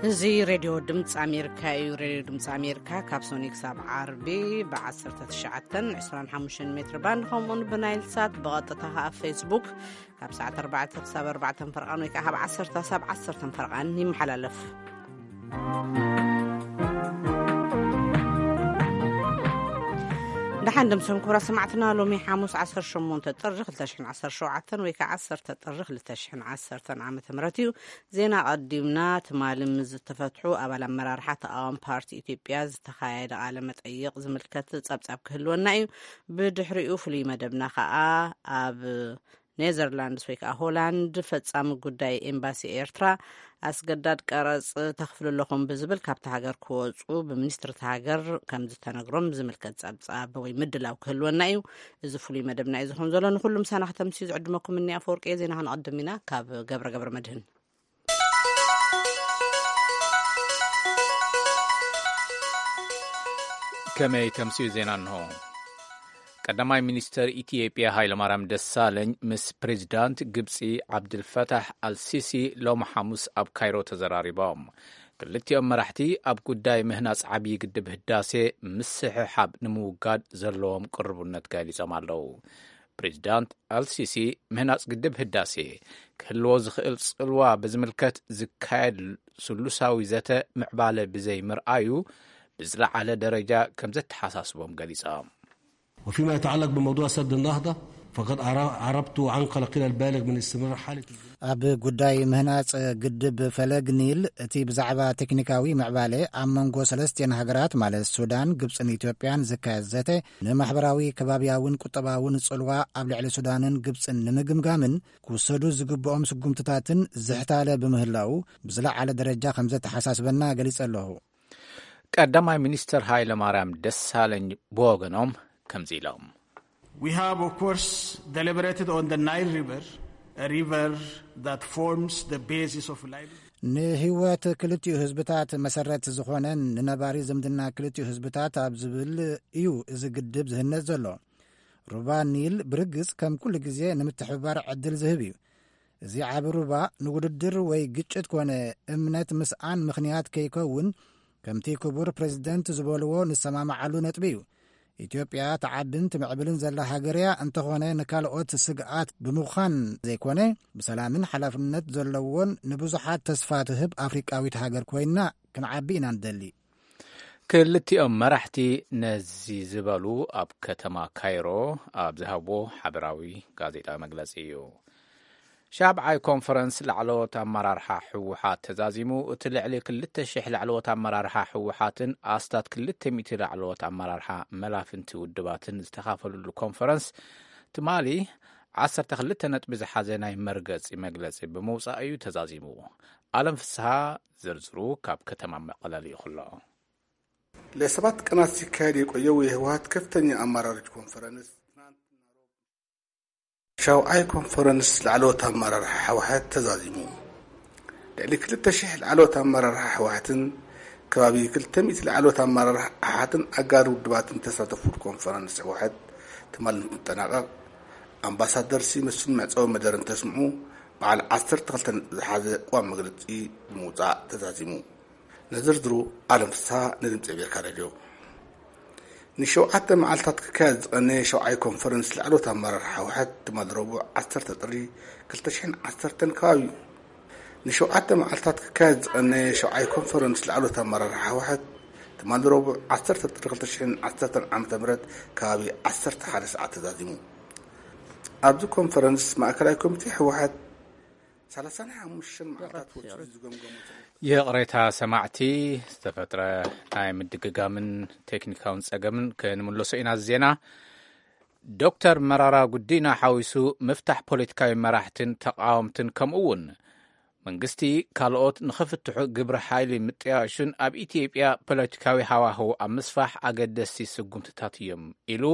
እዚ ሬድዮ ድምፂ ኣሜሪካ እዩ። ሬድዮ ድምፂ ኣሜሪካ ካብ ሶኒ ክሳብ ዓርቢ ብ19፣ 25 ሜትር ባንድ፣ ከምኡውን ብናይል ሳት ብቐጥታ ኣብ ፌስቡክ ካብ ሰዓት ኣርባዕተ ክሳብ ኣርባዕተ ፈርቓን ወይ ከዓ ካብ ዓሰርተ ሳብ ዓሰርተ ፈርቓን ይመሓላለፍ። ደሓን ደምሰም ክቡራት ሰማዕትና፣ ሎሚ ሓሙስ ዓሰርተ ሸሞንተ ጥሪ ክልተ ሽሕን ዓሰርተ ሸውዓተን ወይ ከዓ ዓሰርተ ጥሪ ክልተ ሽሕን ዓሰርተን ዓመተ ምህረት እዩ። ዜና ኣቐዲምና። ትማሊ ምስ ዝተፈትሑ ኣባል ኣመራርሓ ተቓዋሚ ፓርቲ ኢትዮጵያ ዝተኻየደ ቃለ መጠይቕ ዝምልከት ጸብጻብ ክህልወና እዩ። ብድሕሪኡ ፍሉይ መደብና ከኣ ኣብ ኔዘርላንድስ ወይ ከኣ ሆላንድ ፈጻሚ ጉዳይ ኤምባሲ ኤርትራ ኣስገዳድ ቀረጽ ተኽፍሉ ኣለኹም ብዝብል ካብቲ ሃገር ክወጹ ብሚኒስትሪ እቲ ሃገር ከም ዝተነግሮም ዝምልከት ጸብጻብ ወይ ምድላው ክህልወና እዩ። እዚ ፍሉይ መደብና እዩ ዝኸውን ዘሎ። ንኹሉ ምሳና ከተምስዩ ዝዕድመኩም እኒ ኣፈወርቂ እየ። ዜና ክንቐድም ኢና ካብ ገብረ ገብረ መድህን። ከመይ ተምስዩ ዜና እንሆ። ቀዳማይ ሚኒስተር ኢትዮጵያ ሃይለማርያም ደሳለኝ ምስ ፕሬዚዳንት ግብጺ ዓብድልፈታሕ ኣልሲሲ ሎሚ ሓሙስ ኣብ ካይሮ ተዘራሪቦም። ክልቲኦም መራሕቲ ኣብ ጉዳይ ምህናጽ ዓብዪ ግድብ ህዳሴ ምስሕሓብ ንምውጋድ ዘለዎም ቅርቡነት ገሊጾም ኣለዉ። ፕሬዚዳንት ኣልሲሲ ምህናጽ ግድብ ህዳሴ ክህልዎ ዝኽእል ጽልዋ ብዝምልከት ዝካየድ ስሉሳዊ ዘተ ምዕባለ ብዘይምርኣዩ ብዝለዓለ ደረጃ ከም ዘተሓሳስቦም ገሊጾም። وفيما يتعلق بموضوع سد النهضة، فقد عر-، عربت وعن قلقنا البالغ من استمرار حالة الجنود. ኣብ ጉዳይ ምህናጽ ግድብ ፈለግ ኒል፣ እቲ ብዛዕባ ቴክኒካዊ ምዕባለ ኣብ መንጎ ሰለስቲአን ሃገራት ማለት ሱዳን፣ ግብጽን ኢትዮጵያን ዝካየድ ዘተ ንማሕበራዊ፣ ከባብያውን ቁጠባውን ጽልዋ ኣብ ልዕሊ ሱዳንን ግብጽን ንምግምጋምን ክውሰዱ ዝግብኦም ስጉምትታትን ዝሕታለ ብምህላው ብዝለዓለ ደረጃ ከም ዘተሓሳስበና ገሊጸ ኣለኹ። ቀዳማይ ሚኒስተር ሃይለ ማርያም ደሳለኝ ብወገኖም ከምዚ ኢሎም። We have, of course, deliberated on the Nile River, a river that forms the basis of livelihood. ንህይወት ክልቲኡ ህዝብታት መሰረት ዝኾነን ንነባሪ ዝምድና ክልቲኡ ህዝብታት ኣብ ዝብል እዩ እዚ ግድብ ዝህነጽ ዘሎ። ሩባ ኒል ብርግጽ ከም ኩሉ ግዜ ንምትሕብባር ዕድል ዝህብ እዩ። እዚ ዓቢ ሩባ ንውድድር ወይ ግጭት ኮነ እምነት ምስኣን ምኽንያት ከይከውን፣ ከምቲ ክቡር ፕሬዝደንት ዝበልዎ ንሰማማዓሉ ነጥቢ እዩ። ኢትዮጵያ ትዓብን ትምዕብልን ዘላ ሃገር እያ፣ እንተኾነ ንካልኦት ስግኣት ብምዃን ዘይኮነ፣ ብሰላምን ሓላፍነት ዘለዎን ንብዙሓት ተስፋ ትህብ ኣፍሪቃዊት ሃገር ኮይና ክንዓቢ ኢና ንደሊ። ክልቲኦም መራሕቲ ነዚ ዝበሉ ኣብ ከተማ ካይሮ ኣብ ዝሃብዎ ሓበራዊ ጋዜጣዊ መግለጺ እዩ። ሻብዓይ ኮንፈረንስ ላዕለዎት ኣመራርሓ ህወሓት ተዛዚሙ። እቲ ልዕሊ ክልተ ሽሕ ላዕለዎት ኣመራርሓ ህወሓትን ኣስታት ክልተ ሚእቲ ላዕለዎት ኣመራርሓ መላፍንቲ ውድባትን ዝተኻፈሉሉ ኮንፈረንስ ትማሊ ዓሰርተ ክልተ ነጥቢ ዝሓዘ ናይ መርገጺ መግለጺ ብምውጻእ እዩ ተዛዚሙ። ኣለም ፍስሃ ዝርዝሩ ካብ ከተማ መቐለ ልኢኹ ኣሎ። ለሰባት ቀናት ሲካሄድ የቆየው የህወሓት ከፍተኛ ኣመራሮች ኮንፈረንስ ትናንት ሻውዓይ ኮንፈረንስ ላዕለዎት ኣመራርሓ ህወሓት ተዛዚሙ። ልዕሊ ክልተ ሽሕ ላዕለዎት ኣመራርሓ ህወሓትን ከባቢ ክልተ ሚእቲ ላዕለዎት ኣመራርሓ ኣሓትን ኣጋር ውድባትን ተሳተፉሉ ኮንፈረንስ ህወሓት ትማሊ እንትጠናቐቕ ኣምባሳደር ሲመስን መዕፀዊ መደር እንተስምዑ በዓል ዓሰርተ ክልተ ነጥቢ ዝሓዘ ቅዋም መግለፂ ብምውፃእ ተዛዚሙ። ንዝርዝሩ ኣለም ፍስሃ ንድምፂ ኣሜሪካ ሬድዮ። ንሸውዓተ መዓልታት ክካየድ ዝቐነየ ሸውዓይ ኮንፈረንስ ላዕለዎት ኣመራርሓ ህወሓት ትማሊ ረቡዕ ዓሰርተ ጥሪ ክልተ ሽሕን ዓሰርተን ከባቢ እዩ። ንሸውዓተ መዓልታት ክካየድ ዝቐነየ ሸውዓይ ኮንፈረንስ ላዕለዎት ኣመራርሓ ህወሓት ትማሊ ረቡዕ ዓሰርተ ጥሪ ክልተ ሽሕን ዓሰርተን ዓመተ ምህረት ከባቢ ዓሰርተ ሓደ ሰዓት ተዛዚሙ። ኣብዚ ኮንፈረንስ ማእከላይ ኮሚቴ ህወሓት ሰላሳን ሓሙሽተን መዓልታት ወሲዱ ዝገምገሞ ይቕሬታ ሰማዕቲ፣ ዝተፈጥረ ናይ ምድግጋምን ቴክኒካውን ጸገምን ክንምለሶ ኢና። ዜና ዶክተር መራራ ጉዲና ሓዊሱ ምፍታሕ ፖለቲካዊ መራሕትን ተቃወምትን ከምኡ እውን መንግስቲ ካልኦት ንኽፍትሑ ግብረ ሓይሊ ምጥያሹን ኣብ ኢትዮጵያ ፖለቲካዊ ሃዋህው ኣብ ምስፋሕ ኣገደስቲ ስጉምትታት እዮም ኢሉ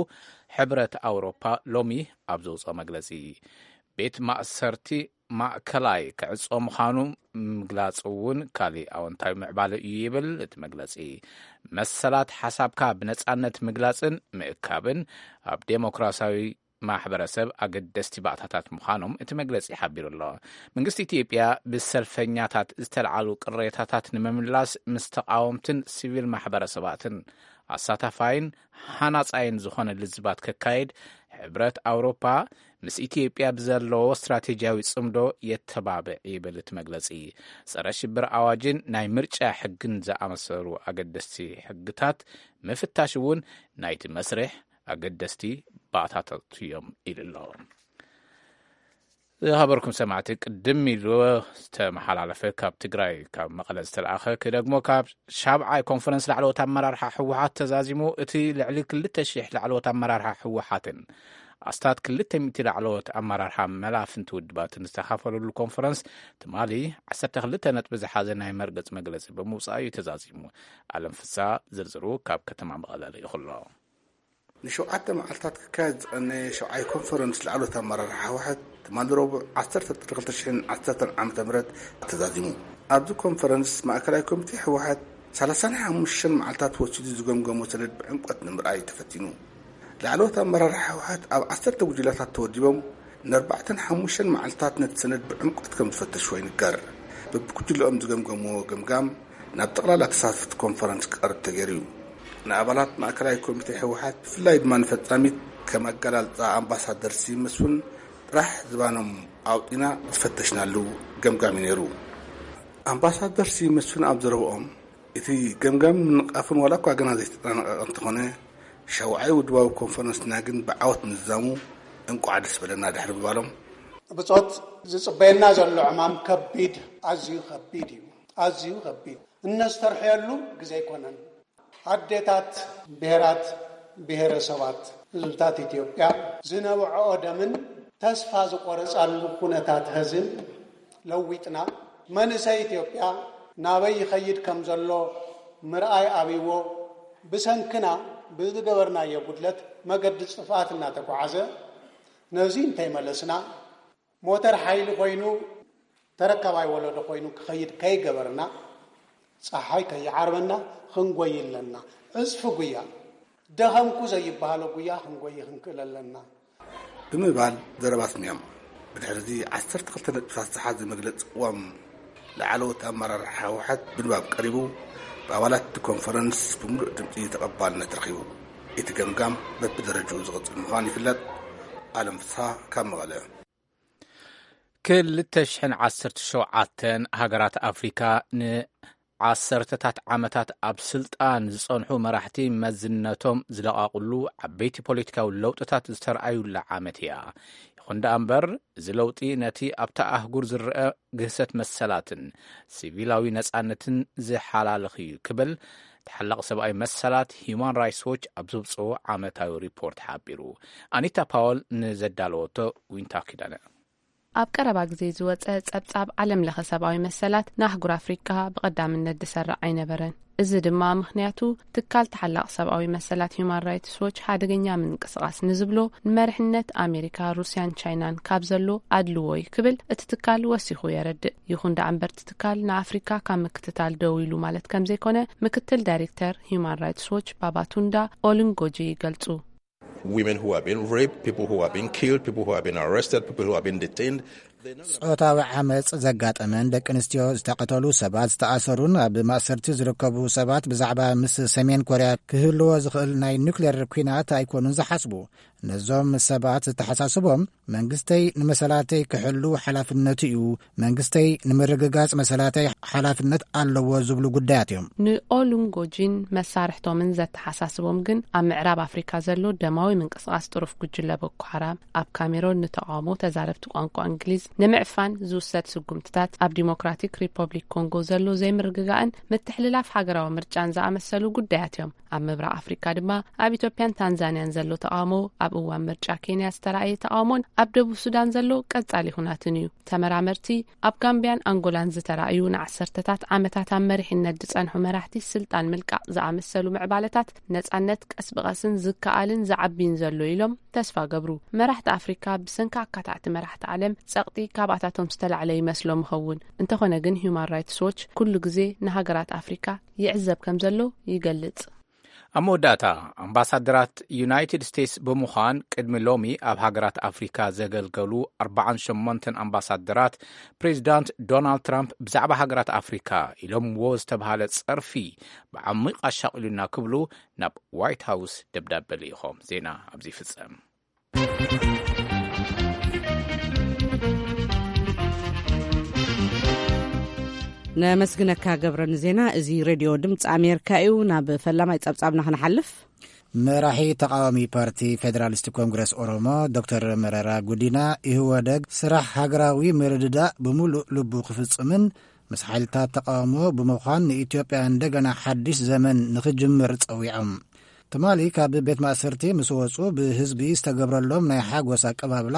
ሕብረት ኣውሮፓ ሎሚ ኣብ ዘውፅኦ መግለጺ። ቤት ማእሰርቲ ማእከላይ ክዕጾ ምዃኑ ምግላጽ እውን ካልእ ኣወንታዊ ምዕባለ እዩ ይብል እቲ መግለጺ። መሰላት ሓሳብካ ብነጻነት ምግላጽን ምእካብን ኣብ ዴሞክራሲያዊ ማሕበረሰብ ኣገደስቲ ባእታታት ምዃኖም እቲ መግለጺ ሓቢሩ ኣሎ። መንግስቲ ኢትዮጵያ ብሰልፈኛታት ዝተልዓሉ ቅሬታታት ንምምላስ ምስ ተቓወምትን ሲቪል ማሕበረሰባትን ኣሳታፋይን ሃናጻይን ዝኾነ ልዝባት ከካይድ ሕብረት ኣውሮፓ ምስ ኢትዮጵያ ብዘለዎ ስትራቴጂያዊ ጽምዶ የተባብዕ ይብል እቲ መግለጺ። ጸረ ሽብር ኣዋጅን ናይ ምርጫ ሕግን ዝኣመሰሉ ኣገደስቲ ሕግታት ምፍታሽ እውን ናይቲ መስርሕ ኣገደስቲ ባእታታት እዮም ኢሉ ኣሎ። ዝኸበርኩም ሰማዕቲ፣ ቅድም ኢሉ ዝተመሓላለፈ ካብ ትግራይ ካብ መቐለ ዝተለኣኸ ክደግሞ ካብ ሻብዓይ ኮንፈረንስ ላዕለዎት ኣመራርሓ ህወሓት ተዛዚሙ። እቲ ልዕሊ ክልተ ሺሕ ላዕለዎት ኣመራርሓ ህወሓትን ኣስታት ክልተ ሚእቲ ላዕለዎት ኣመራርሓ መላፍንቲ ውድባትን ዝተኻፈለሉ ኮንፈረንስ ትማሊ ዓሰርተ ክልተ ነጥቢ ዝሓዘ ናይ መርገጽ መግለጺ ብምውጻእ እዩ ተዛዚሙ። ኣለም ፍሳ ዝርዝሩ ካብ ከተማ መቐለ ልኢኹ ኣሎ። ንሸውዓተ መዓልታት ክካየድ ዝቐነየ ሸውዓይ ኮንፈረንስ ላዕሎት ኣመራርሓ ህወሓት ትማሊ ረቡዕ ዓሰርተ ጥሪ ክልተ ሽሕን ዓሰርተን ዓመተ ምህረት ተዛዚሙ። ኣብዚ ኮንፈረንስ ማእከላይ ኮሚቴ ህወሓት ሰላሳን ሓሙሽተን መዓልታት ወሲዱ ዝገምገሞ ሰነድ ብዕምቆት ንምርኣይ ተፈቲኑ። ላዕለዎት ኣመራርሓ ህወሓት ኣብ ዓሰርተ ጉጅላታት ተወዲቦም ንኣርባዕተን ሓሙሽተን መዓልታት ነቲ ሰነድ ብዕምቆት ከም ዝፈተሽዎ ይንገር። በብጉጅለኦም ዝገምገምዎ ገምጋም ናብ ጠቕላላ ተሳተፍቲ ኮንፈረንስ ክቐርብ ተገይሩ እዩ። ንኣባላት ማእከላይ ኮሚቴ ህወሓት ብፍላይ ድማ ንፈጻሚት ከም ኣገላልጻ ኣምባሳደር ስዩም መስፍን ጥራሕ ዝባኖም ኣውጺና ዝፈተሽናሉ ገምጋም እዩ ነይሩ። ኣምባሳደር ስዩም መስፍን ኣብ ዘረብኦም እቲ ገምጋም ምንቓፍን ዋላ እኳ ገና ዘይተጠናቐቐ እንተኾነ ሻውዓይ ውድባዊ ኮንፈረንስና ግን ብዓወት ምዝዛሙ እንቋዕ ደስ በለና ድሕሪ ምባሎም ብጾት ዝጽበየና ዘሎ ዕማም ከቢድ ኣዝዩ ከቢድ እዩ ኣዝዩ ከቢድ እነስተርሕየሉ ግዜ ኣይኮነን ኣዴታት ብሄራት ብሄረሰባት ህዝብታት ኢትዮጵያ ዝነብዐኦ ደምን ተስፋ ዝቆረጻሉ ኩነታት ህዝን ለዊጥና መንእሰይ ኢትዮጵያ ናበይ ይኸይድ ከም ዘሎ ምርኣይ ኣብይዎ ብሰንክና ብዝገበርናዮ ጉድለት መገዲ ጥፍኣት እናተጓዓዘ ነዚ እንተይመለስና ሞተር ሓይሊ ኮይኑ ተረካባይ ወለዶ ኮይኑ ክኸይድ ከይገበርና ፀሓይ ከይዓርበና ክንጎይ ኣለና። ዕፅፊ ጉያ ደኸምኩ ዘይበሃሎ ጉያ ክንጎይ ክንክእል ኣለና። ብምባል ዘረባ ኣስሚዖም። ብድሕሪ እዚ ዓሰርተ ክልተ ነጥብታት ዝሓዘ መግለፂ ቅዋም ላዕለዎት ኣመራርሓ ህወሓት ብንባብ ቀሪቡ ብኣባላት እቲ ኮንፈረንስ ብምሉእ ድምፂ ተቐባልነት ረኺቡ። እቲ ገምጋም በብደረጅኡ ዝቕፅል ምዃኑ ይፍለጥ። ኣለም ፍስሃ ካብ መቐለ። ክልተ ሽሕን ዓሰርተ ሸውዓተን ሃገራት ኣፍሪካ ንዓሰርተታት ዓመታት ኣብ ስልጣን ዝጸንሑ መራሕቲ መዝነቶም ዝለቓቕሉ ዓበይቲ ፖለቲካዊ ለውጥታት ዝተረኣዩላ ዓመት እያ። ይኹን ደኣ እምበር፣ እዚ ለውጢ ነቲ ኣብታ ኣህጉር ዝረኣ ግህሰት መሰላትን ሲቪላዊ ነጻነትን ዝሓላልኽ እዩ ክብል ተሓላቒ ሰብኣዊ መሰላት ሂዩማን ራይትስ ዎች ኣብ ዘውጽኦ ዓመታዊ ሪፖርት ሓቢሩ። ኣኒታ ፓወል ንዘዳለወቶ ዊንታ ኪዳነ። ኣብ ቀረባ ግዜ ዝወጸ ጸብጻብ ዓለም ለኸ ሰብኣዊ መሰላት ንኣህጉር ኣፍሪቃ ብቐዳምነት ዝሰርዕ ኣይነበረን። እዚ ድማ ምኽንያቱ ትካል ተሓላቒ ሰብኣዊ መሰላት ሂዩማን ራይትስ ዎች ሓደገኛ ምንቅስቓስ ንዝብሎ ንመሪሕነት ኣሜሪካ፣ ሩስያን ቻይናን ካብ ዘሎ ኣድልዎ እዩ ክብል እቲ ትካል ወሲኹ የረድእ። ይኹን ደኣ እምበር እቲ ትካል ንኣፍሪካ ካብ ምክትታል ደው ኢሉ ማለት ከም ዘይኮነ ምክትል ዳይሬክተር ሂዩማን ራይትስ ዎች ባባቱንዳ ኦሉንጎጂ ይገልጹ። Women who have been raped, people who have been killed, people who have been arrested, people who have been detained. ጾታዊ ዓመፅ ዘጋጠመን ደቂ ኣንስትዮ ዝተቐተሉ ሰባት ዝተኣሰሩን ኣብ ማእሰርቲ ዝርከቡ ሰባት ብዛዕባ ምስ ሰሜን ኮርያ ክህልዎ ዝኽእል ናይ ኑክሌር ኲናት ኣይኮኑን ዝሓስቡ። ነዞም ሰባት ዝተሓሳስቦም መንግስተይ ንመሰላተይ ክሕሉ ሓላፍነቱ እዩ፣ መንግስተይ ንምርግጋጽ መሰላተይ ሓላፍነት ኣለዎ ዝብሉ ጉዳያት እዮም። ንኦሉንጎጂን መሳርሕቶምን ዘተሓሳስቦም ግን ኣብ ምዕራብ ኣፍሪካ ዘሎ ደማዊ ምንቅስቃስ ጥሩፍ ጉጅለ ቦኮ ሓራም፣ ኣብ ካሜሮን ንተቃውሞ ተዛረብቲ ቋንቋ እንግሊዝ ንምዕፋን ዝውሰድ ስጉምትታት፣ ኣብ ዲሞክራቲክ ሪፐብሊክ ኮንጎ ዘሎ ዘይምርግጋእን ምትሕልላፍ ሃገራዊ ምርጫን ዝኣመሰሉ ጉዳያት እዮም። ኣብ ምብራቕ ኣፍሪካ ድማ ኣብ ኢትዮጵያን ታንዛንያን ዘሎ ተቃውሞ፣ ኣብ እዋን ምርጫ ኬንያ ዝተራእየ ተቃውሞን ኣብ ደቡብ ሱዳን ዘሎ ቀጻሊ ኩናትን እዩ። ተመራመርቲ፣ ኣብ ጋምቢያን ኣንጎላን ዝተራእዩ ንዓሰርተታት ዓመታት ኣብ መሪሕነት ዝጸንሑ መራሕቲ ስልጣን ምልቃቕ ዝኣመሰሉ ምዕባለታት፣ ነጻነት ቀስ ብቐስን ዝከኣልን ዝዓብይን ዘሎ ኢሎም ተስፋ ገብሩ። መራሕቲ ኣፍሪካ ብሰንኪ ኣካታዕቲ መራሕቲ ዓለም ጸቕጢ ካብኣታቶም ዝተላዕለ ይመስሎም ይኸውን። እንተኾነ ግን ሂዩማን ራይትስ ዎች ኩሉ ግዜ ንሃገራት ኣፍሪካ ይዕዘብ ከም ዘሎ ይገልጽ። ኣብ መወዳእታ፣ ኣምባሳደራት ዩናይትድ ስቴትስ ብምዃን ቅድሚ ሎሚ ኣብ ሃገራት ኣፍሪካ ዘገልገሉ ኣርባዓን ሸሞንተን ኣምባሳደራት፣ ፕሬዚዳንት ዶናልድ ትራምፕ ብዛዕባ ሃገራት ኣፍሪካ ኢሎምዎ ዝተብሃለ ጸርፊ ብዓሚቕ ኣሻቒሉና ክብሉ ናብ ዋይት ሃውስ ደብዳበ ልኢኾም። ዜና ኣብዚ ይፍጸም። ነመስግነካ ገብረ ንዜና። እዚ ሬድዮ ድምፂ ኣሜሪካ እዩ። ናብ ፈላማይ ጸብጻብና ክንሓልፍ። መራሒ ተቃዋሚ ፓርቲ ፌዴራሊስት ኮንግረስ ኦሮሞ ዶክተር መረራ ጉዲና፣ ኢህወደግ ስራሕ ሃገራዊ ምርድዳእ ብምሉእ ልቡ ክፍጽምን ምስ ሓይልታት ተቃውሞ ብምዃን ንኢትዮጵያ እንደገና ሓድሽ ዘመን ንኽጅምር ጸዊዖም። ትማሊ ካብ ቤት ማእሰርቲ ምስ ወጹ ብህዝቢ ዝተገብረሎም ናይ ሓጎስ ኣቀባብላ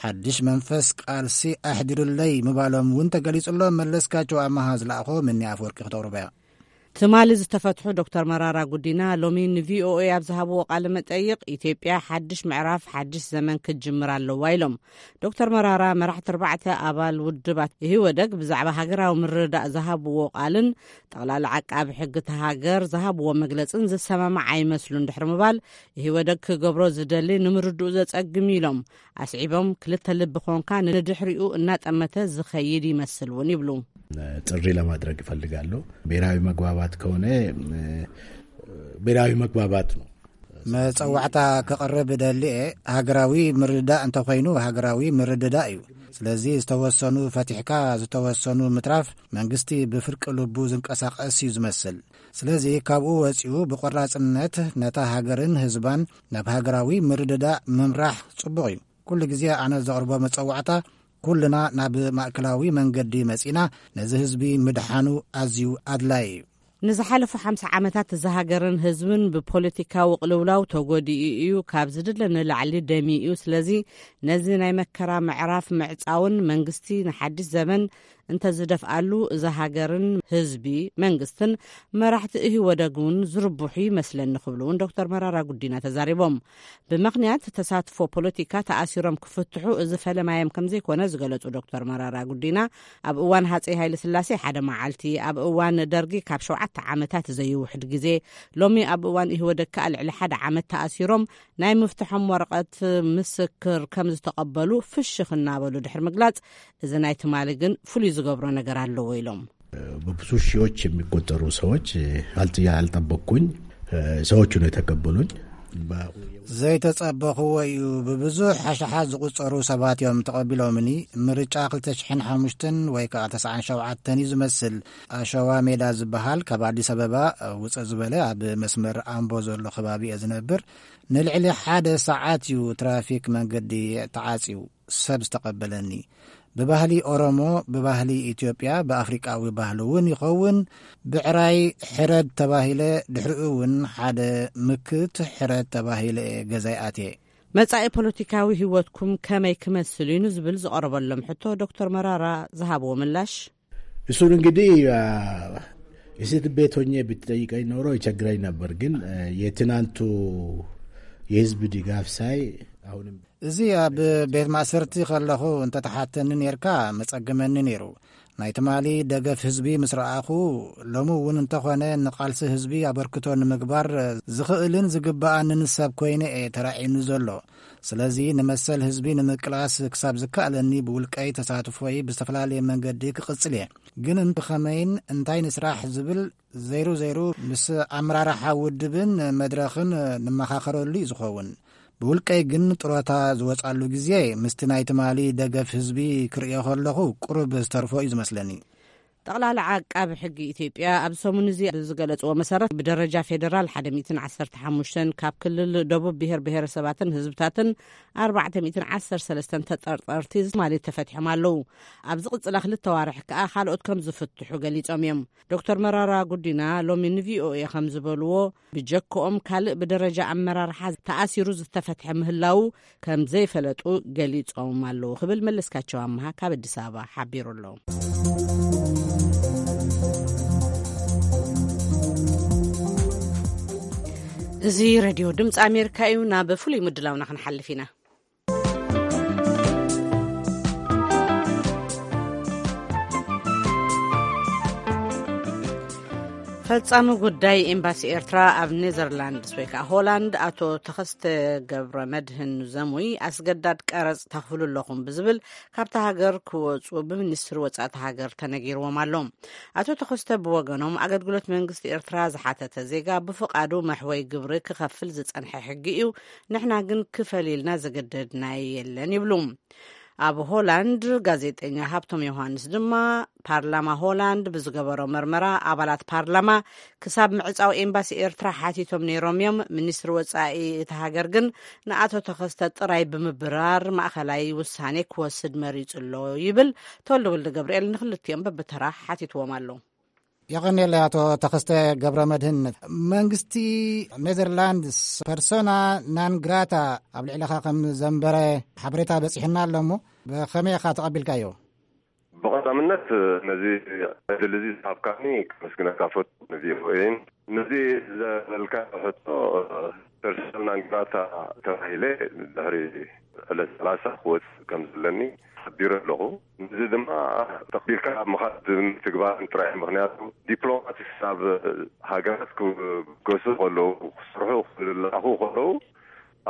ሓድሽ መንፈስ ቃልሲ ኣሕዲሩለይ ምባሎም እውን ተገሊጹሎም። መለስካቸው ኣማሃ ዝለኣኾ ምኒ ኣፈወርቂ ክተቕርቦ እያ። ትማሊ ዝተፈትሑ ዶክተር መራራ ጉዲና ሎሚ ንቪኦኤ ኣብ ዝሃብዎ ቃለ መጠይቕ፣ ኢትዮጵያ ሓድሽ ምዕራፍ ሓድሽ ዘመን ክትጅምር ኣለዋ ኢሎም። ዶክተር መራራ መራሕቲ ኣርባዕተ ኣባል ውድባት ኢህወደግ ብዛዕባ ሃገራዊ ምርድዳእ ዝሃብዎ ቃልን ጠቕላላ ዓቃቢ ሕጊ እታ ሃገር ዝሃብዎ መግለጽን ዝሰማማዕ ኣይመስሉን ድሕሪ ምባል፣ ኢህወደግ ክገብሮ ዝደሊ ንምርድኡ ዘጸግም ኢሎም። ኣስዒቦም፣ ክልተ ልቢ ኮንካ ንድሕሪኡ እናጠመተ ዝኸይድ ይመስል እውን ይብሉ። ጥሪ ለማድረግ እፈልጋለሁ። ብሔራዊ መግባባት ከሆነ፣ እ፣ ብሔራዊ መግባባት ነው። መጸዋዕታ ክቕርብ ደልየ፣ ሃገራዊ ምርድዳእ እንተኾይኑ ሃገራዊ ምርድዳእ እዩ። ስለዚ ዝተወሰኑ ፈቲሕካ ዝተወሰኑ ምትራፍ መንግስቲ ብፍርቂ ልቡ ዝንቀሳቐስ እዩ ዝመስል። ስለዚ ካብኡ ወጺኡ ብቆራጽነት ነታ ሃገርን ህዝባን ናብ ሃገራዊ ምርድዳእ ምምራሕ ጽቡቕ እዩ። ኩሉ ግዜ ኣነ ዘቕርቦ መጸዋዕታ፣ ኩልና ናብ ማእከላዊ መንገዲ መጺና ነዚ ህዝቢ ምድሓኑ ኣዝዩ ኣድላዪ እዩ። ንዝሓለፉ ሓምሳ ዓመታት እዛ ሃገርን ህዝብን ብፖለቲካዊ ቅልውላው ተጎዲኡ እዩ፣ ካብ ዝድለ ንላዕሊ ደምዩ እዩ። ስለዚ ነዚ ናይ መከራ ምዕራፍ ምዕጻውን መንግስቲ ንሓድሽ ዘመን እንተዝደፍኣሉ እዛ ሃገርን ህዝቢ መንግስትን መራሕቲ ኢህወደግ እውን ዝርብሑ ይመስለኒ ክብሉ እውን ዶክተር መራራ ጉዲና ተዛሪቦም። ብምኽንያት ተሳትፎ ፖለቲካ ተኣሲሮም ክፍትሑ እዚ ፈለማዮም ከም ዘይኮነ ዝገለጹ ዶክተር መራራ ጉዲና፣ ኣብ እዋን ሃጸይ ሃይለ ስላሴ ሓደ መዓልቲ፣ ኣብ እዋን ደርጊ ካብ ሸውዓተ ዓመታት ዘይውሕድ ግዜ፣ ሎሚ ኣብ እዋን ኢህወደግ ከኣ ልዕሊ ሓደ ዓመት ተኣሲሮም ናይ ምፍትሖም ወረቐት ምስክር ከም ዝተቐበሉ ፍሽኽ እናበሉ ድሕሪ ምግላጽ፣ እዚ ናይ ትማሊ ግን ፍሉይ ዝገብሮ ነገር ኣለዎ ኢሎም። በብዙ ሺዎች የሚቆጠሩ ሰዎች አልጥ-፣ ያልጠበቅኩኝ ሰዎቹ ነው የተቀበሉኝ። ዘይተጸበኽዎ እዩ። ብብዙሕ ሓሽሓ ዝቑጸሩ ሰባት እዮም ተቐቢሎምኒ። ምርጫ ክልተ ሽሕን ሓሙሽተን ወይ ከኣ ተስዓን ሸውዓተን እዩ ዝመስል። ኣሸዋ ሜዳ ዝበሃል ካብ ኣዲስ ኣበባ ውጽእ ዝበለ ኣብ መስመር ኣምቦ ዘሎ ከባቢ እየ ዝነብር። ንልዕሊ ሓደ ሰዓት እዩ ትራፊክ መንገዲ ተዓጽዩ። ሰብ ዝተቐበለኒ። ብባህሊ ኦሮሞ፣ ብባህሊ ኢትዮጵያ፣ ብኣፍሪቃዊ ባህሊ እውን ይኸውን። ብዕራይ ሕረድ ተባሂለ፣ ድሕሪኡ እውን ሓደ ምክት ሕረድ ተባሂለ እየ ገዛይ ኣትየ። መጻኢ ፖለቲካዊ ህይወትኩም ከመይ ክመስል እዩ ንዝብል ዝቐረበሎም ሕቶ ዶክተር መራራ ዝሃብዎ ምላሽ። እሱን እንግዲህ፣ አ፣ እስር ቤት ሆኜ ብትጠይቀኝ ኖሮ ይቸግረኝ ነበር። ግን፣ አ፣ የትናንቱ የህዝብ ድጋፍ ሳይ አሁንም እዚ ኣብ ቤት ማእሰርቲ ከለኹ እንተተሓተኒ ኔርካ መጸገመኒ ኔሩ። ናይ ትማሊ ደገፍ ህዝቢ ምስ ረኣኹ፣ ሎሚ እውን እንተኾነ ንቓልሲ ህዝቢ ኣበርክቶ ንምግባር ዝኽእልን ዝግበኣንን ሰብ ኮይነ እየ ተራእዩኒ ዘሎ። ስለዚ ንመሰል ህዝቢ ንምቅላስ ክሳብ ዝከኣለኒ ብውልቀይ ተሳትፎይ ብዝተፈላለየ መንገዲ ክቕጽል እየ። ግን ብኸመይን እንታይ ንስራሕ ዝብል ዘይሩ ዘይሩ ምስ ኣመራርሓ ውድብን መድረኽን ንመኻኸረሉ እዩ ዝኸውን። ብውልቀይ ግን ጥሮታ ዝወጻሉ ግዜ ምስቲ ናይ ትማሊ ደገፍ ህዝቢ ክርእዮ ከለኹ ቁሩብ ዝተርፎ እዩ ዝመስለኒ። ጠቕላላ ዓቃቢ ሕጊ ኢትዮጵያ ኣብ ሰሙን እዚ ብዝገለጽዎ መሰረት፣ ብደረጃ ፌደራል ሓደ ሚእትን ዓሰርተ ሓሙሽተን፣ ካብ ክልል ደቡብ ብሄር ብሄረሰባትን ህዝብታትን ኣርባዕተ ሚእትን ዓሰርተ ሰለስተን ተጠርጠርቲ ትማሊ ተፈቲሖም ኣለዉ። ኣብ ዝቕጽላ ክልተ ዋርሕ ከኣ ካልኦት ከም ዝፍትሑ ገሊጾም እዮም። ዶክተር መራራ ጉዲና ሎሚ ንቪኦኤ ከም ዝበልዎ፣ ብጀክኦም ካልእ ብደረጃ ኣመራርሓ ተኣሲሩ ዝተፈትሐ ምህላዉ ከም ዘይፈለጡ ገሊጾም ኣለዉ ክብል መለስካቸው ኣምሃ ካብ ኣዲስ ኣበባ ሓቢሩ ኣሎ። እዚ ሬድዮ ድምፂ ኣሜሪካ እዩ። ናብ ፍሉይ ምድላውና ክንሓልፍ ኢና። ፈጻሚ ጉዳይ ኤምባሲ ኤርትራ ኣብ ኔዘርላንድስ ወይ ከዓ ሆላንድ ኣቶ ተኸስተ ገብረ መድህን ዘሙይ፣ ኣስገዳድ ቀረጽ ተኽፍሉ ኣለኹም ብዝብል ካብታ ሃገር ክወጹ ብሚኒስትሪ ወጻእቲ ሃገር ተነጊርዎም ኣሎ። ኣቶ ተኸስተ ብወገኖም፣ ኣገልግሎት መንግስቲ ኤርትራ ዝሓተተ ዜጋ ብፍቓዱ መሕወይ ግብሪ ክኸፍል ዝጸንሐ ሕጊ እዩ፣ ንሕና ግን ክፈል ኢልና ዘገደድና የለን ይብሉ። ኣብ ሆላንድ ጋዜጠኛ ሃብቶም ዮሃንስ ድማ፣ ፓርላማ ሆላንድ ብዝገበሮ መርመራ፣ ኣባላት ፓርላማ ክሳብ ምዕጻው ኤምባሲ ኤርትራ ሓቲቶም ነይሮም እዮም። ሚኒስትሪ ወጻኢ እቲ ሃገር ግን ንኣቶ ተኸስተ ጥራይ ብምብራር ማእኸላይ ውሳኔ ክወስድ መሪጹ ኣሎ ይብል። ተወልደ ወልደ ገብርኤል ንክልቲኦም በብተራ ሓቲትዎም ኣሎ። የቐንየለይ ኣቶ ተኸስተ ገብረ መድህን። መንግስቲ ኔዘርላንድስ ፐርሶና ናን ግራታ ኣብ ልዕሊኻ ከም ዘንበረ ሓበሬታ በጺሕና ኣሎ እሞ፣ ብኸመይ ኢኻ ተቐቢልካዮ? ብቐዳምነት ነዚ ዕድል እዚ ዝሃብካኒ ከመስግነካ ፈቱ፣ ንቪኦኤን። ነዚ ዘበልካ ሕቶ፣ ፐርሶና ናን ግራታ ተባሂለ ድሕሪ ዕለት ሰላሳ ክወጽእ ከም ዘለኒ ሓቢረ ኣለኹ። እዚ ድማ ተቐቢልካ ኣብ ምኻድ ምትግባርን ጥራይ፣ ምኽንያቱ ዲፕሎማትስ ናብ ሃገራት ክገሱ ከለዉ፣ ክሰርሑ ክለኣኹ ከለዉ፣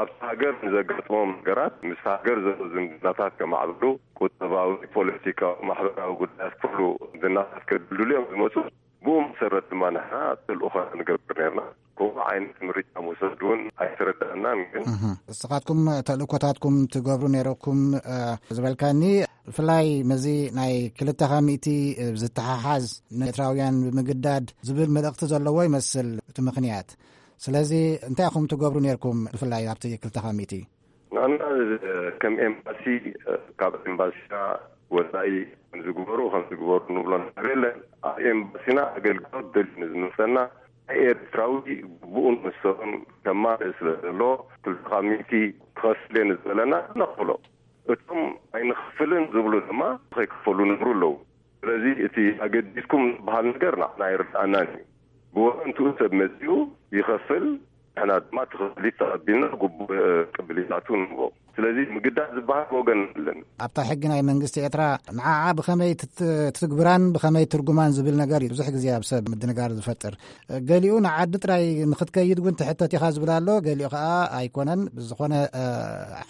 ኣብቲ ሃገር ንዘጋጥሞም ነገራት፣ ምስ ሃገር ዘለዉ ዝምድናታት ከማዕብሉ፣ ቁጠባዊ፣ ፖለቲካዊ፣ ማሕበራዊ ጉዳያት ኩሉ ዝምድናታት ከድልድሉ እዮም ዝመጹ። ብኡ መሰረት ድማ ንሕና ተልእኾና ንገብር ነርና። ከምኡ ዓይነት ምርጫ ምውሰድ እውን ኣይተረዳእናን። ግን እህ፣ ንስኻትኩም ተልእኮታትኩም ትገብሩ ነይረኩም፣ እ፣ ዝበልካኒ፣ ብፍላይ ምስዚ ናይ ክልተ ካብ ሚእቲ ዝተሓሓዝ፣ ንኤርትራውያን ብምግዳድ ዝብል መልእኽቲ ዘለዎ ይመስል እቲ ምኽንያት። ስለዚ እንታይ ኢኹም ትገብሩ ነይርኩም፣ ብፍላይ ኣብቲ ክልተ ካብ ሚእቲ? ንሕና ከም ኤምባሲ፣ ካብ ኤምባሲና ወፃኢ ከምዚ ግበሩ፣ ከምዚ ግበሩ ንብሎ ነገር የለን። ኣብ ኤምባሲና ኣገልግሎት ደልዩ ንዝመፀና፣ ናይ ኤርትራዊ ግቡኡን መሰሉን ከማልእ ስለ ዘሎ፣ ክልተ ካብ ሚእቲ ክኸፍል እየ ንዝበለና ነኽፍሎ። እቶም ኣይንኸፍልን ዝብሉ ድማ ከይከፈሉ ንብሩ ኣለዉ። ስለዚ እቲ ኣገዲስኩም ዝበሃል ነገር ንዓና ኣይርድኣናን እዩ። ብወገንትኡ ሰብ መጺኡ ይኸፍል፣ ንሕና ድማ እቲ ክፍሊት ተቐቢልና ግቡእ ቅብሊታቱ ንህቦ። ስለዚ ምግዳድ ዝበሃል ወገን የለን። ኣብታ ሕጊ ናይ መንግስቲ ኤርትራ ንዓዓ ብኸመይ ትት-፣ ትትግብራን ብኸመይ ትርጉማን ዝብል ነገር እዩ ብዙሕ ግዜ ኣብ ሰብ ምድንጋር ዝፈጥር። ገሊኡ ንዓዲ ጥራይ ንኽትከይድ እውን ትሕተት ኢኻ ዝብል ኣሎ፣ ገሊኡ ኸኣ ኣይኮነን። ብዝኾነ፣ እ፣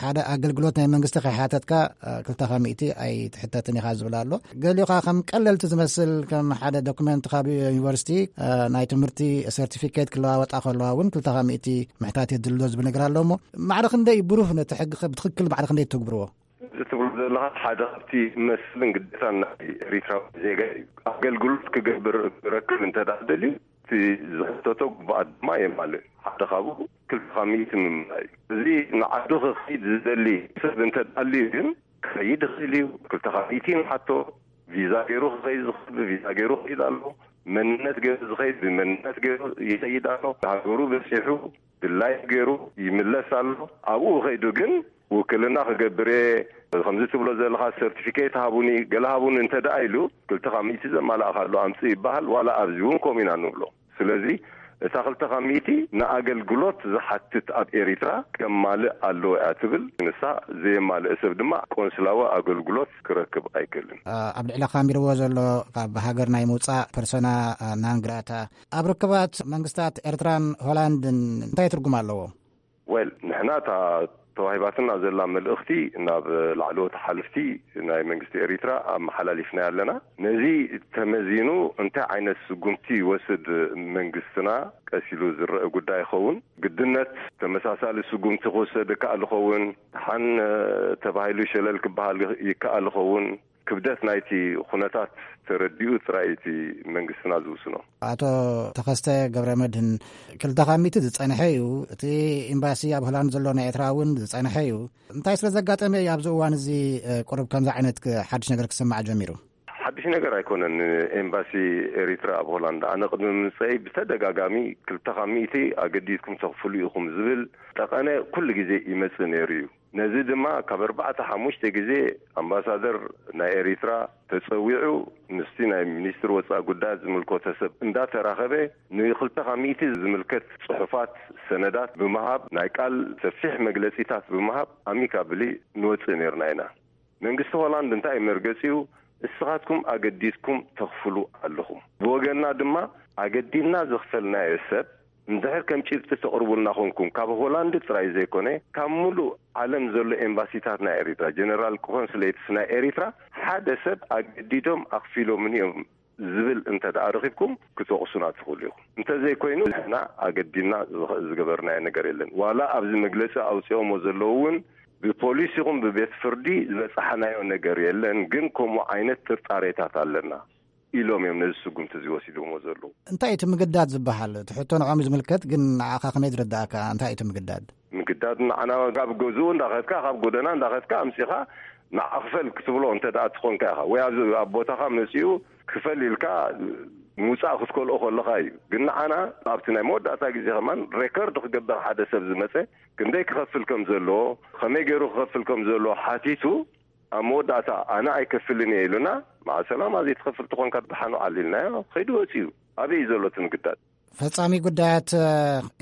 ሓደ ኣገልግሎት ናይ መንግስቲ ከይሓተትካ፣ እ፣ ክልተ ካብ ሚእቲ ኣይትሕተትን ኢኻ ዝብል ኣሎ። ገሊኡ ኸኣ ከም ቀለልቲ ዝመስል፣ ከም ሓደ ዶክመንት ካብ ዩኒቨርሲቲ፣ እ፣ ናይ ትምህርቲ ሰርቲፊኬት ክለዋወጣ ከለዋ እውን ክልተ ካብ ሚእቲ ምሕታት የድልዮ ዝብል ነገር ኣሎ። እሞ ማዕረ ክንደይ ብሩህ ነቲ ሕጊ ኸ ብትኽክል ማዕረ ክንደይ ትግብርዎ? እዚ ትብሎ ዘለኻ ሓደ ካብቲ መስልን ግዴታን ናይ ኤሪትራዊ ዜጋ እዩ። ኣገልግሎት ክገብር፣ ክረክብ እንተ ደኣ ደልዩ፣ እቲ ዝሕተቶ ግቡኣት ድማ የማልእ። ሓደ ካብኡ ክልተ ካብ ሚእቲ ምምላእ እዩ። እዚ ንዓዱ ክኸይድ ዝደሊ ሰብ እንተ ደኣ ኣልዩ ግን ክኸይድ ይኽእል እዩ። ክልተ ካብ ሚእቲ ንሓቶ፣ ቪዛ ገይሩ ክኸይድ ዝኽእል ብቪዛ ገይሩ ይኸይድ ኣሎ። መንነት ገይሩ ዝኸይድ ብመንነት ገይሩ ይኸይድ ኣሎ። ሃገሩ በጺሑ ድላዩ ገይሩ ይምለስ ኣሎ። ኣብኡ ከይዱ ግን ውክልና ክገብር እየ፣ ከምዚ ትብሎ ዘለኻ ሰርቲፊኬት ሃቡኒ፣ ገለ ሃቡኒ እንተ ደኣ ኢሉ፣ ክልተ ካብ ሚእቲ ዘማላእካሉ ኣምጽእ ይበሃል። ዋላ ኣብዚ እውን ከምኡ ኢና ንብሎ። ስለዚ እታ ክልተ ካብ ሚእቲ ንኣገልግሎት ዝሓትት ኣብ ኤሪትራ ከማልእ ኣለዎ እያ ትብል። ንሳ ዘየማልእ ሰብ ድማ ቆንስላዊ ኣገልግሎት ክረክብ ኣይክእልን። ኣብ ልዕሊ ካሚርዎ ዘሎ ካብ ሃገር ናይ ምውጻእ ፐርሶና ናን ግራታ ኣብ ርክባት መንግስታት ኤርትራን ሆላንድን እንታይ ትርጉም ኣለዎ? ወል፣ ንሕና እታ ተዋሂባትና ዘላ መልእኽቲ ናብ ላዕለዎት ሓለፍቲ ናይ መንግስቲ ኤሪትራ ኣመሓላሊፍናያ ኣለና። ነዚ ተመዚኑ እንታይ ዓይነት ስጉምቲ ይወስድ መንግስትና ቀስ ኢሉ ዝረአ ጉዳይ ይኸውን። ግድነት ተመሳሳሊ ስጉምቲ ክውሰድ ይከኣል ይኸውን። ደሓን፣ እ፣ ተባሂሉ ሸለል ክበሃል ይከኣል ይኸውን። ክብደት ናይቲ ኩነታት ተረዲኡ ጥራይ እቲ መንግስትና ዝውስኖ። ኣቶ ተኸስተ ገብረ መድህን፣ ክልተ ካብ ሚእቲ ዝጸንሐ እዩ። እቲ ኤምባሲ ኣብ ሆላንድ ዘሎ ናይ ኤርትራ እውን ዝጸንሐ እዩ። እንታይ ስለ ዘጋጠመ እዩ ኣብዚ እዋን እዚ፣ እ፣ ቁሩብ ከምዚ ዓይነት ክ-፣ ሓድሽ ነገር ክስማዕ ጀሚሩ? ሓድሽ ነገር ኣይኮነን። ኤምባሲ ኤሪትራ ኣብ ሆላንድ፣ ኣነ ቅድሚ ምምጸይ ብተደጋጋሚ ክልተ ካብ ሚእቲ ኣገዲድኩም ተኽፍሉ ኢኹም ዝብል ጠቐነ ኩሉ ግዜ ይመጽእ ነይሩ እዩ። ነዚ ድማ ካብ ኣርባዕተ ሓሙሽተ ግዜ ኣምባሳደር ናይ ኤሪትራ ተጸዊዑ ምስቲ ናይ ሚኒስትሪ ወጻኢ ጉዳያት ዝምልከቶ ሰብ እንዳተራኸበ ንክልተ ካብ ሚእቲ ዝምልከት ጽሑፋት፣ ሰነዳት ብምሃብ ናይ ቃል ሰፊሕ መግለጺታት ብምሃብ ኣሚካብሊ ንወጽእ ነይርና ኢና። መንግስቲ ሆላንድ እንታይ እዩ መርገጺኡ? እስኻትኩም ኣገዲድኩም ተኽፍሉ ኣለኹም። ብወገንና ድማ ኣገዲድና ዘኽፈልናዮ ሰብ እንድሕር ከም ጭብጢ ተቕርቡልና ኮንኩም፣ ካብ ሆላንድ ጥራይ ዘይኮነ፣ ካብ ሙሉእ ዓለም ዘሎ ኤምባሲታት ናይ ኤሪትራ፣ ጀነራል ኮንስሌትስ ናይ ኤሪትራ፣ ሓደ ሰብ ኣገዲዶም ኣኽፊሎምን እዮም ዝብል እንተ ደኣ ረኺብኩም፣ ክትወቕሱና ትኽእሉ ኢኹም። እንተዘይኮይኑ፣ ንሕና ኣገዲድና ዝኸ-፣ ዝገበርናዮ ነገር የለን። ዋላ ኣብዚ መግለጺ ኣውጺኦሞ ዘለዉ እውን፣ ብፖሊስ ይኹን ብቤት ፍርዲ ዝበጻሓናዮ ነገር የለን፣ ግን ከምኡ ዓይነት ጥርጣሬታት ኣለና ኢሎም እዮም ነዚ ስጉምቲ እዚ ወሲዶሞ ዘለዉ። እንታይ እቲ ምግዳድ ዝበሃል? እቲ ሕቶ ንዖም እዩ ዝምልከት፣ ግን ንዓኻ ከመይ ዝረዳእካ? እንታይ እቲ ምግዳድ? ምግዳድ ንዓና ካብ ገዝኡ እንዳኸድካ፣ ካብ ጎደና እንዳኸድካ ኣምጺኻ ንዓ ክፈል ክትብሎ እንተ ደኣ ትኾንካ ኢኻ፣ ወይ ኣብዚ ኣብ ቦታኻ መጺኡ ክፈል ኢልካ ምውጻእ ክትከልኦ ከለኻ እዩ። ግን ንዓና ኣብቲ ናይ መወዳእታ ግዜ ከማን ሬከርድ ክገብር ሓደ ሰብ ዝመጸ ክንደይ ክኸፍል ከም ዘለዎ፣ ከመይ ገይሩ ክኸፍል ከም ዘለዎ ሓቲቱ፣ ኣብ መወዳእታ ኣነ ኣይከፍልን እየ ኢሉና፣ መዓ ሰላማ ዘይትኸፍል ተኾንካ ደሓን ውዓል ኢልናዮ። ከይዱ ወጺኡ። ኣበይ እዩ ዘሎ እቲ ምግዳድ? ፈጻሚ ጉዳያት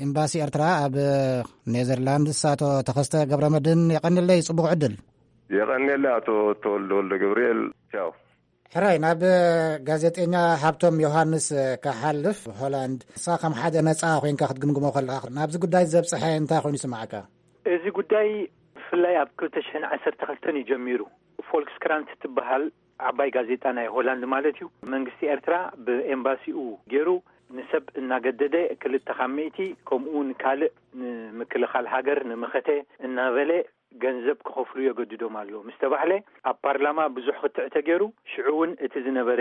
ኤምባሲ ኤርትራ ኣብ ኔዘርላንድስ ኣቶ ተኸስተ ገብረመድህን፣ የቐንየለይ፣ ጽቡቕ ዕድል። የቐንየለይ ኣቶ ተወልደ ወልደ ገብርኤል። ቻው። ሕራይ፣ ናብ ጋዜጠኛ ሃብቶም ዮሃንስ ክሓልፍ፣ ሆላንድ፣ ንሳ ከም ሓደ ነጻ ኮይንካ ክትግምግሞ ከለኻ፣ ናብዚ ጉዳይ ዘብጽሐ እንታይ ኮይኑ ይስምዓካ? እዚ ጉዳይ ብፍላይ ኣብ ክልተ ሽሕን ዓሰርተ ክልተን እዩ ጀሚሩ። ፎልክስክራንት ትበሃል ዓባይ ጋዜጣ ናይ ሆላንድ ማለት እዩ፣ መንግስቲ ኤርትራ ብኤምባሲኡ ገይሩ ንሰብ እናገደደ፣ ክልተ ካብ ሚእቲ፣ ከምኡ እውን ካልእ ንምክልኻል ሃገር፣ ንመኸተ እናበለ ገንዘብ ክኸፍሉ የገድዶም ኣሎ ምስ ተባህለ፣ ኣብ ፓርላማ ብዙሕ ክትዕ ተገይሩ። ሽዑ እውን እቲ ዝነበረ፣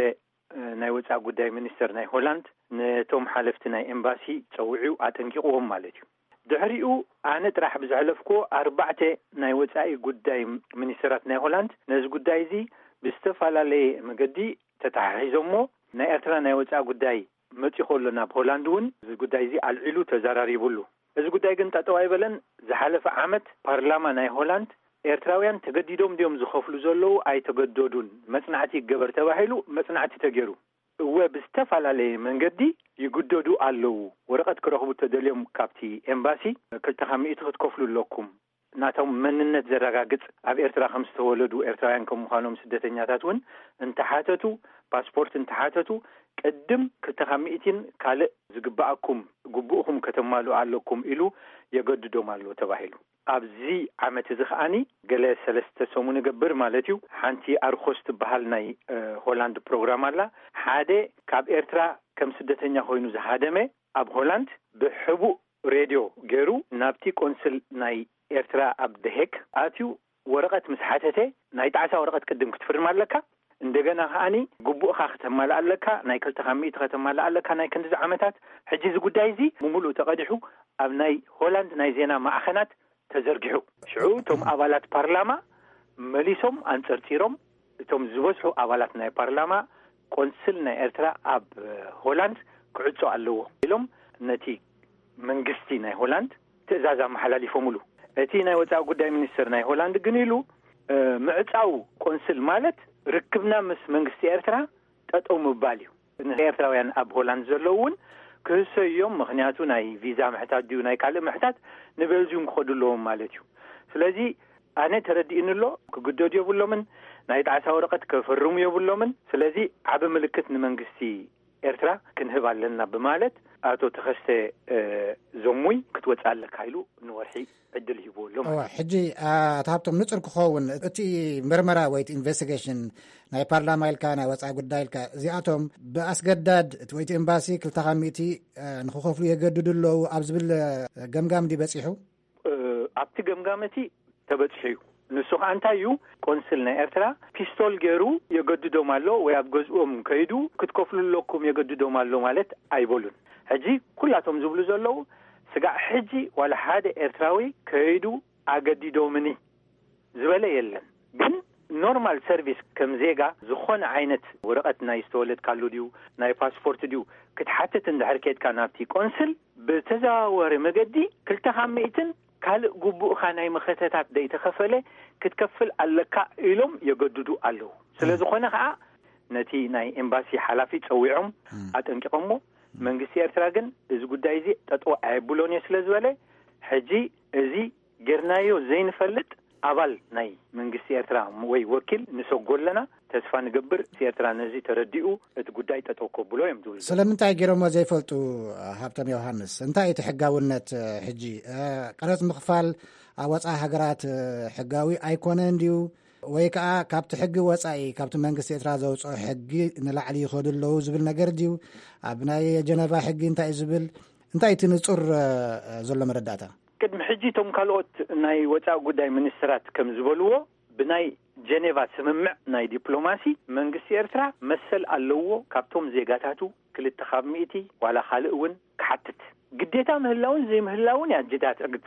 እ፣ ናይ ወጻኢ ጉዳይ ሚኒስተር ናይ ሆላንድ ነቶም ሓለፍቲ ናይ ኤምባሲ ጸዊዑ ኣጠንቂቕዎም ማለት እዩ። ድሕሪኡ ኣነ ጥራሕ ብዝሐለፍክዎ ኣርባዕተ ናይ ወጻኢ ጉዳይ ሚኒስተራት ናይ ሆላንድ ነዚ ጉዳይ እዚ ብዝተፈላለየ መገዲ ተተሓሒዞሞ፣ ናይ ኤርትራ ናይ ወጻኢ ጉዳይ መጺኡ ከሎ ናብ ሆላንድ እውን እዚ ጉዳይ እዚ ኣልዒሉ ተዘራሪቡሉ። እዚ ጉዳይ ግን ጠጠው ኣይበለን። ዝሓለፈ ዓመት ፓርላማ ናይ ሆላንድ ኤርትራውያን ተገዲዶም ድዮም ዝኸፍሉ ዘለዉ? ኣይተገደዱን። መጽናዕቲ ይገበር ተባሂሉ መጽናዕቲ ተገይሩ። እወ፣ ብዝተፈላለየ መንገዲ ይግደዱ ኣለዉ። ወረቐት ክረኽቡ ተደልዮም ካብቲ ኤምባሲ ክልተ ካብ ሚእቲ ክትከፍሉ ኣለኩም። ናቶም መንነት ዘረጋግጽ፣ ኣብ ኤርትራ ከም ዝተወለዱ ኤርትራውያን ከም ምዃኖም ስደተኛታት እውን እንተሓተቱ፣ ፓስፖርት እንተሓተቱ፣ ቅድም ክልተ ካብ ሚእቲን ካልእ ዝግብኣኩም ግቡእኹም ከተማልኡ ኣለኩም ኢሉ የገድዶም ኣሎ ተባሂሉ። ኣብዚ ዓመት እዚ ከኣኒ ገለ ሰለስተ ሰሙን እገብር ማለት እዩ፣ ሓንቲ ኣርኮስ ትበሃል ናይ፣ እ፣ ሆላንድ ፕሮግራም ኣላ። ሓደ ካብ ኤርትራ ከም ስደተኛ ኮይኑ ዝሃደመ ኣብ ሆላንድ ብሕቡእ ሬድዮ ገይሩ ናብቲ ቆንስል ናይ ኤርትራ ኣብ ደሄግ ኣትዩ ወረቐት ምስ ሓተተ፣ ናይ ጣዕሳ ወረቐት ቅድም ክትፍርም ኣለካ፣ እንደገና ከኣኒ ግቡእኻ ከተማልእ ኣለካ፣ ናይ ክልተ ካብ ሚእቲ ከተማልእ ኣለካ፣ ናይ ክንድዚ ዓመታት። ሕጂ እዚ ጉዳይ እዚ ብምሉእ ተቐዲሑ ኣብ ናይ ሆላንድ ናይ ዜና ማዕኸናት ተዘርጊሑ። ሽዑ እቶም ኣባላት ፓርላማ መሊሶም ኣንጸርጺሮም፣ እቶም ዝበዝሑ ኣባላት ናይ ፓርላማ፣ ቆንስል ናይ ኤርትራ ኣብ ሆላንድ ክዕጾ ኣለዎ ኢሎም ነቲ መንግስቲ ናይ ሆላንድ ትእዛዝ ኣመሓላሊፎምሉ። እቲ ናይ ወጻኢ ጉዳይ ሚኒስትር ናይ ሆላንድ ግን ኢሉ፣ እ፣ ምዕጻው ቆንስል ማለት ርክብና ምስ መንግስቲ ኤርትራ ጠጠው ምባል እዩ። ንኤርትራውያን ኣብ ሆላንድ ዘለዉ እውን ክህሰዩ እዮም። ምኽንያቱ ናይ ቪዛ ምሕታት ድዩ ናይ ካልእ ምሕታት ንቤልጅዩም ክኸዱ ኣለዎም ማለት እዩ። ስለዚ ኣነ ተረዲእኒ ኣሎ። ክግደዱ የብሎምን። ናይ ጣዕሳ ወረቐት ከፈርሙ የብሎምን። ስለዚ ዓቢ ምልክት ንመንግስቲ ኤርትራ ክንህብ ኣለና ብማለት ኣቶ ተኸስተ፣ እ፣ ዘሙይ ክትወጽእ ኣለካ ኢሉ ንወርሒ ዕድል ሂብዎ ኣሎ ማለት እዩ። ሕጂ፣ አ፣ ኣቶ ሃብቶም፣ ንጹር ክኸውን እቲ ምርመራ ወይ እቲ ኢንቨስቲጌሽን ናይ ፓርላማ ኢልካ፣ ናይ ወጻኢ ጉዳይ ኢልካ፣ እዚኣቶም ብኣስገዳድ እቲ ወይ እቲ ኤምባሲ ክልተ ካብ ሚእቲ፣ እ፣ ንኽኸፍሉ የገድዱ ኣለዉ ኣብ ዝብል፣ እ፣ ገምጋም ድዩ በጺሑ? እ፣ ኣብቲ ገምጋም እቲ ተበጺሑ እዩ። ንሱ ኸኣ እንታይ እዩ? ቆንስል ናይ ኤርትራ ፒስቶል ገይሩ የገድዶም ኣሎ ወይ ኣብ ገዝኦም ከይዱ ክትከፍሉ ኣለኩም የገድዶም ኣሎ ማለት ኣይበሉን። ሕጂ ኩላቶም ዝብሉ ዘለዉ ስጋዕ ሕጂ ዋላ ሓደ ኤርትራዊ ከይዱ ኣገዲዶምኒ ዝበለ የለን። ግን ኖርማል ሰርቪስ ከም ዜጋ ዝኾነ ዓይነት ወረቐት ናይ ዝተወለድካሉ ድዩ ናይ ፓስፖርት ድዩ ክትሓትት እንድሕር ኬድካ ናብቲ ቆንስል ብተዘዋዋሪ መገዲ ክልተ ካብ ሚእትን ካልእ ግቡእኻ ናይ መኸተታት ደይተኸፈለ ክትከፍል ኣለካ ኢሎም የገድዱ ኣለዉ። ስለ ዝኾነ ኸኣ ነቲ ናይ ኤምባሲ ሓላፊ ጸዊዖም ኣጠንቂቖሞ። መንግስቲ ኤርትራ ግን እዚ ጉዳይ እዚ ጠጠው ኣየብሎን እየ ስለ ዝበለ ሕጂ እዚ ጌርናዮ ዘይንፈልጥ ኣባል ናይ መንግስቲ ኤርትራ ወይ ወኪል ንሰጎ ኣለና። ተስፋ ንገብር፣ ኤርትራ ነዚ ተረዲኡ እቲ ጉዳይ ጠጠው ከብሎ እዮም ዝብሉ። ስለምንታይ ገይሮሞ ዘይፈልጡ? ሃብቶም ዮሃንስ፣ እንታይ እቲ ሕጋውነት? ሕጂ ቀረጽ ምኽፋል ኣብ ወፃኢ ሃገራት ሕጋዊ ኣይኮነን ድዩ? ወይ ከዓ ካብቲ ሕጊ ወፃኢ፣ ካብቲ መንግስቲ ኤርትራ ዘውፅኦ ሕጊ ንላዕሊ ይኸዱ ኣለዉ ዝብል ነገር ድዩ? ኣብ ናይ ጀነቫ ሕጊ እንታይ እዩ ዝብል? እንታይ እቲ ንፁር ዘሎ መረዳእታ? ቅድሚ ሕጂ እቶም ካልኦት ናይ ወፃኢ ጉዳይ ሚኒስትራት ከም ዝበልዎ፣ ብናይ ጀኔቫ ስምምዕ ናይ ዲፕሎማሲ፣ መንግስቲ ኤርትራ መሰል ኣለዎ ካብቶም ዜጋታቱ ክልተ ካብ ሚእቲ ዋላ ካልእ እውን ክሓትት። ግዴታ ምህላውን ዘይምህላውን እያ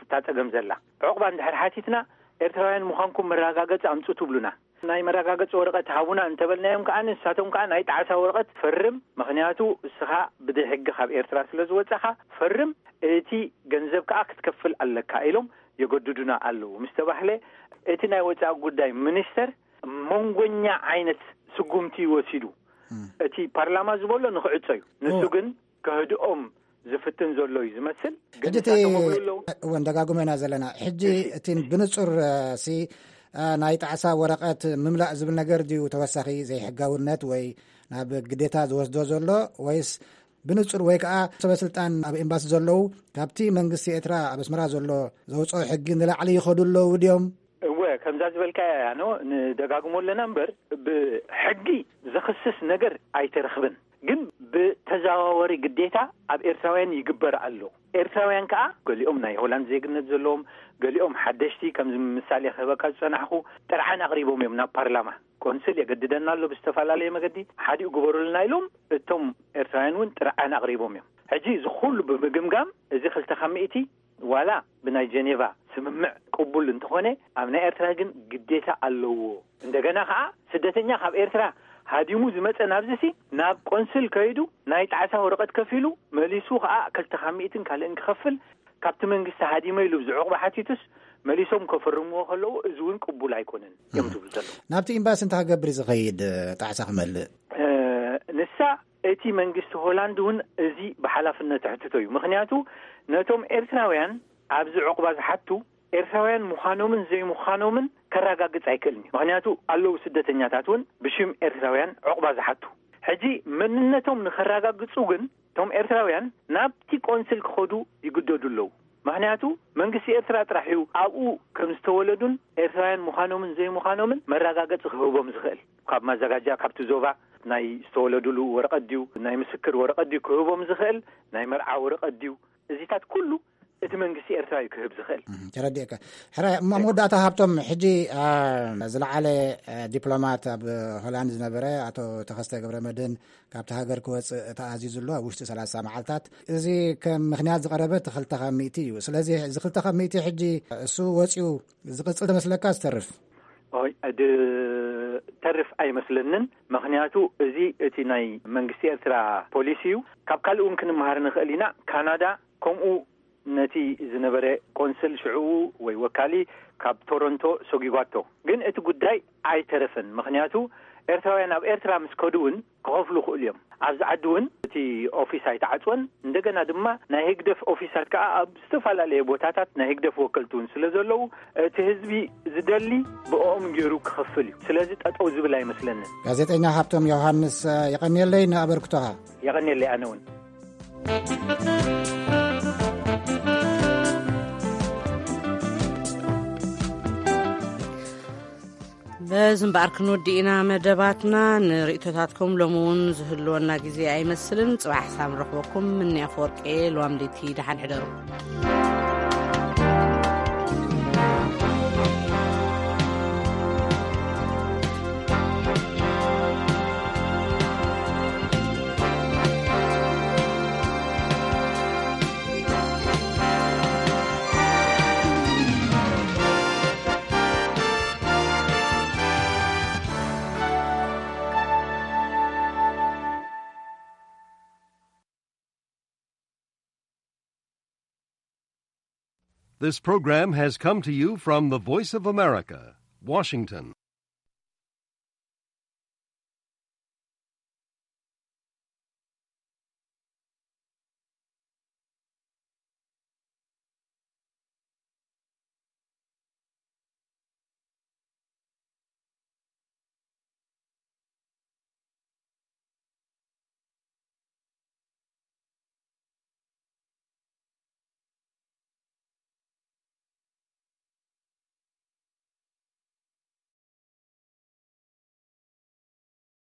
እታ ጸገም ዘላ። ዕቑባ እንድሕር ሓቲትና፣ ኤርትራውያን ምዃንኩም መረጋገጺ ኣምጹ ትብሉና። ናይ መረጋገጺ ወረቐት ሃቡና እንተበልናዮም ከኣ፣ ንሳቶም ከኣ ናይ ጣዕሳ ወረቐት ፈርም፣ ምኽንያቱ እስኻ ብደይ ሕጊ ካብ ኤርትራ ስለ ዝወጻኻ ፈርም፣ እቲ ገንዘብ ከኣ ክትከፍል ኣለካ ኢሎም የገድዱና ኣለዉ ምስ ተባህለ፣ እቲ ናይ ወጻኢ ጉዳይ ሚኒስተር መንጎኛ ዓይነት ስጉምቲ ወሲዱ። እቲ ፓርላማ ዝበሎ ንኽዕጾ እዩ። ንሱ ግን ከህድኦም ዝፍትን ዘሎ እዩ ዝመስል። ግን ሕጂ እቲ ንሳቶም ይብሉ ኣለዉ። እውን ደጋግሞ ኢና ዘለና። ሕጂ እቲ ብንጹር፣ እ፣ ሲ፣ እ፣ ናይ ጣዕሳ ወረቐት ምምላእ ዝብል ነገር ድዩ ተወሳኺ ዘይሕጋውነት ወይ ናብ ግዴታ ዝወስዶ ዘሎ፣ ወይስ ብንጹር ወይ ከኣ ሰበ ስልጣን ኣብ ኤምባሲ ዘለዉ ካብቲ መንግስቲ ኤርትራ ኣብ ኣስመራ ዘሎ ዘውጽኦ ሕጊ ንላዕሊ ይኸዱ ኣለዉ ድዮም? እወ፣ ከምዛ ዝበልካያ ያኖ ንደጋግሞ ኣለና እምበር፣ ብሕጊ ዘኽስስ ነገር ኣይተረኽብን። ግን ብተዘዋወሪ ግዴታ ኣብ ኤርትራውያን ይግበር ኣሎ። ኤርትራውያን ከኣ ገሊኦም ናይ ሆላንድ ዜግነት ዘለዎም፣ ገሊኦም ሓደሽቲ፣ ከምዚ ምሳሌ ክህበካ ዝጸናሕኩ፣ ጥርዓን ኣቕሪቦም እዮም ናብ ፓርላማ። ቆንስል የገድደና ኣሎ ብዝተፈላለየ መገዲ፣ ሓዲኡ ግበሩልና ኢሎም፣ እቶም ኤርትራውያን እውን ጥርዓን ኣቕሪቦም እዮም። ሕጂ እዚ ኩሉ ብምግምጋም፣ እዚ ክልተ ካብ ሚእቲ ዋላ ብናይ ጀኔቫ ስምምዕ ቅቡል እንተኾነ፣ ኣብ ናይ ኤርትራ ግን ግዴታ ኣለዎ። እንደገና ከኣ ስደተኛ ካብ ኤርትራ ሃዲሙ ዝመጸ ናብዚሲ ናብ ቆንስል ከይዱ ናይ ጣዕሳ ወረቐት ከፊሉ መሊሱ ከኣ ክልተ ካብ ሚእትን ካልእን ክኸፍል፣ ካብቲ መንግስቲ ሃዲመ ኢሉ ብዚ ዕቑባ ሓቲቱስ መሊሶም ከፈርምዎ ከለዉ፣ እዚ እውን ቅቡል ኣይኮነን እዮም ዝብሉ ዘለዉ። ናብቲ ኤምባሲ እንታይ ክገብር እዩ ዝኸይድ፣ ጣዕሳ ክመልእ? እ፣ ንሳ እቲ መንግስቲ ሆላንድ እውን እዚ ብሓላፍነት ኣሕትቶ እዩ። ምኽንያቱ ነቶም ኤርትራውያን ኣብዚ ዕቑባ ዝሓቱ ኤርትራውያን ምዃኖምን ዘይምዃኖምን ከረጋግጽ ኣይክእልን እዩ። ምኽንያቱ ኣለዉ ስደተኛታት እውን ብሽም ኤርትራውያን ዕቑባ ዝሓቱ። ሕጂ መንነቶም ንኸረጋግጹ ግን እቶም ኤርትራውያን ናብቲ ቆንስል ክኸዱ ይግደዱ ኣለዉ። ምኽንያቱ መንግስቲ ኤርትራ ጥራሕ እዩ ኣብኡ ከም ዝተወለዱን ኤርትራውያን ምዃኖምን ዘይምዃኖምን መረጋገጺ ክህቦም ዝኽእል። ካብ ማዘጋጃ፣ ካብቲ ዞባ ናይ ዝተወለዱሉ ወረቐት ድዩ፣ ናይ ምስክር ወረቐት ድዩ ክህቦም ዝኽእል፣ ናይ መርዓ ወረቐት ድዩ፣ እዚታት ኩሉ እቲ መንግስቲ ኤርትራ እዩ ክህብ ዝኽእል። እም፣ ተረዲእካ። ሕራይ፣ እሞ መወዳእታ ሃብቶም፣ ሕጂ፣ አ፣ ዝለዓለ፣ አ፣ ዲፕሎማት ኣብ ሆላንድ ዝነበረ ኣቶ ተኸስተ ገብረ መድህን ካብቲ ሃገር ክወጽእ ተኣዚዙ ኣሎ ኣብ ውሽጢ ሰላሳ መዓልታት። እዚ ከም ምኽንያት ዝቐረበ እቲ ክልተ ካብ ሚእቲ እዩ። ስለዚ እዚ ክልተ ካብ ሚእቲ ሕጂ እሱ ወጺኡ ዝቕጽል ትመስለካ ዝተርፍ? ኦይ፣ ድ-፣ ተርፍ ኣይመስለንን። ምኽንያቱ እዚ እቲ ናይ መንግስቲ ኤርትራ ፖሊሲ እዩ። ካብ ካልእ እውን ክንመሃር ንኽእል ኢና። ካናዳ ከምኡ ነቲ ዝነበረ ቆንስል ሽዑ ወይ ወካሊ ካብ ቶሮንቶ ሰጒጓቶ። ግን እቲ ጉዳይ ኣይተረፈን። ምኽንያቱ ኤርትራውያን ኣብ ኤርትራ ምስ ከዱ እውን ክኸፍሉ ይኽእሉ እዮም። ኣብዚ ዓዲ እውን እቲ ኦፊስ ኣይተዓጽወን። እንደገና ድማ ናይ ህግደፍ ኦፊሳት ከኣ ኣብ ዝተፈላለየ ቦታታት ናይ ህግደፍ ወከልቲ እውን ስለ ዘለዉ፣ እቲ ህዝቢ ዝደሊ ብኦም ገይሩ ክኸፍል እዩ። ስለዚ ጠጠው ዝብል ኣይመስለንን። ጋዜጠኛ ሃብቶም ዮሃንስ፣ የቐንየለይ ንኣበርክቶኻ። የቐንየለይ ኣነ እውን። በዚ እምበኣር ክንወዲ ኢና መደባትና። ንርእይቶታትኩም ሎሚ እውን ዝህልወና ግዜ ኣይመስልን። ጽባሕ ሳም ንረኽበኩም። ምኒ ኣፈወርቂ፣ ልዋም ለይቲ፣ ደሓን ሕደሩ። This program has come to you from the Voice of America, Washington.